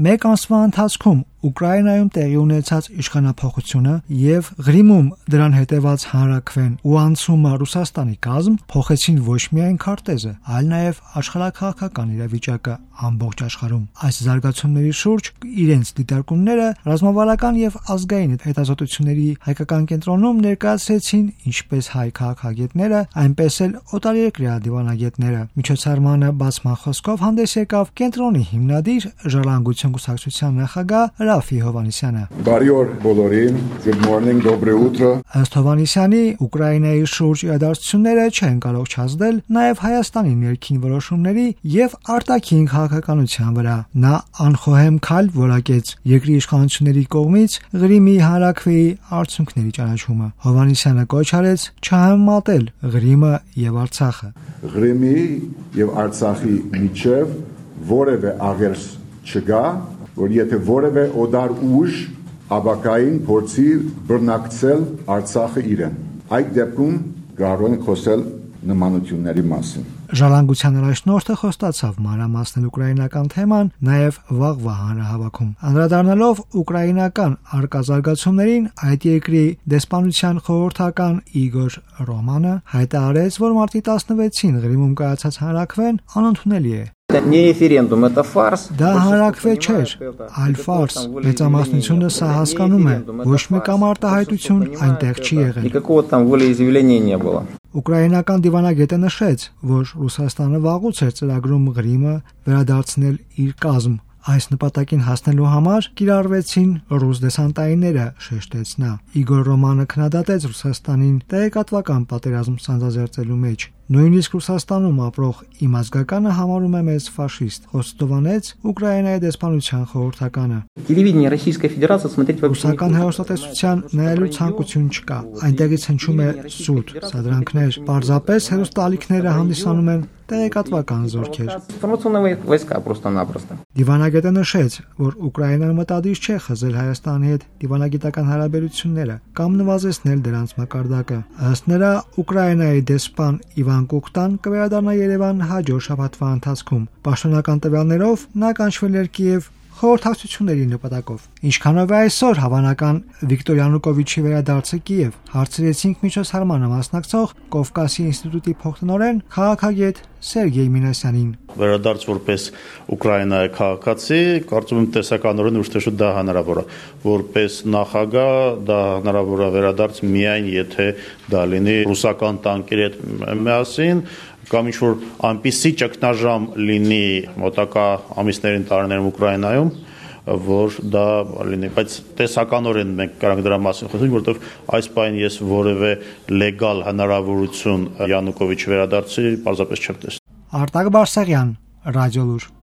Մեկ ամսվա ընթացքում Ուկրաինայում տեղի ունեցած իշխանափոխությունը եւ Ղրիմում դրան հետեւած հանրաքվեն ու անցումը Ռուսաստանի կազմ փոխեցին ոչ միայն քարտեզը, այլ նաեւ աշխարհաքաղաքական իրավիճակը ամբողջ աշխարհում։ Այս զարգացումների շուրջ իրենց դիտարկումները ռազմավարական եւ ազգային հետազոտությունների հայկական կենտրոնում ներկայացրեցին ինչպես հայ քաղաքագետները, այնպես էլ օտարերկրյա դիվանագետները։ Միջոցառմանը բացման խոսքով հանդես եկավ կենտրոնի հիմնադիր Ժառանգություն կուսակցության նախագահ Ռաֆի Հովհաննիսյանը։ Բարի օր բոլորին, good morning, доброе утро։ Ըստ Հովհաննիսյանի, Ուկրաինայի շուրջ իրադարձությունները չեն կարող չազդել նաև Հայաստանի ներքին որոշումների եւ արտաքին քաղաքականության վրա։ Նա անխոհեմ քայլ որակեց երկրի իշխանությունների կողմից Ղրիմի հանրաքվեի արդյունքների ճանաչումը։ Հովհաննիսյանը կոչ արեց չհամեմատել Ղրիմը եւ Արցախը։ Ղրիմի եւ Արցախի միջև որևէ աղերս չկա, որ եթե որևէ օտար ուժ ապակային փորձի բռնակցել Արցախը իրեն։ Այդ դեպքում կարող են խոսել նմանությունների մասին։ Ժառանգության առաջնորդը խոստացավ մանրամասնել ուկրաինական թեման նաև վաղվա հանրահավաքում։ Անդրադառնալով ուկրաինական արկազարգացումներին, այդ երկրի դեսպանության խորհրդական Իգոր Ռոմանը հայտարարեց, որ մարտի 16-ին Ղրիմում կայացած հանրաքվեն անընդունելի է։ Не референдум, это фарс. Դա հանրաքվե չէր, այլ ֆարս։ Մեծամասնությունը սա հասկանում է, ոչ մի կամ արտահայտություն այնտեղ չի եղել։ Никакого там волеизъявления не было. Ուկրաինական դիվանագետը նշեց, որ Ռուսաստանը վաղուց էր ծրագրում Ղրիմը վերադարձնել իր կազմ։ Այս նպատակին հասնելու համար կիրառվեցին ռուս դեսանտայինները, շեշտեց նա։ Իգոր Ռոմանը քննադատեց Ռուսաստանին տեղեկատվական պատերազմ սանձազերծելու մեջ։ Նույնիսկ Ռուսաստանում ապրող իմ ազգականը համարում է մեզ ֆաշիստ, խոստովանեց Ուկրաինայի դեսպանության խորհրդականը։ Телевидение Российской Федерации смотреть вообще не Ռուսական հեռուստատեսության նայելու ցանկություն չկա։ Այնտեղից հնչում է սուտ, սադրանքներ, պարզապես հեռուստաալիքները հանդիսանում են տեղեկատվական զորքեր։ информационные войска просто-напросто. Դիվանագետը նշեց, որ Ուկրաինան մտադիր չէ խզել Հայաստանի հետ դիվանագիտական հարաբերությունները կամ նվազեցնել դրանց մակարդակը։ Ըստ նրա, Ուկրաինայի դեսպան Իվան Կուկտան կվերադառնա Երևան հաջորդ շաբաթվա ընթացքում։ Պաշտոնական տվյալներով նա կանչվել էր Կիև խորհրդակցությունների նպատակով։ Ինչքանով է այսօր հավանական Վիկտոր Յանուկովիչի վերադարձը Կիև, հարցրեցինք միջոցառմանը մասնակցող Կովկասի ինստիտուտի փոխտնօրեն քաղաքագետ Սերգեյ Մինասյանին։ Վերադարձ որպես Ուկրաինայի քաղաքացի, կարծում եմ տեսականորեն ուշ-թե-շուտ դա հնարավոր է։ Որպես նախագահ դա հնարավոր է վերադարձ միայն եթե դա լինի ռուսական տանկերի հետ միասին կամ ինչ-որ այնպիսի ճգնաժամ լինի մոտակա ամիսներին տարիներում Ուկրաինայում, որ դա լինի, բայց տեսականորեն մենք կարող դրա մասին խոսենք, որովհետև այս պահին ես որևէ լեգալ հնարավորություն Յանուկովիչի վերադարձի պարզապես չեմ տեսնում։ Արտակ Բարսեղյան, Ռադիոլուր։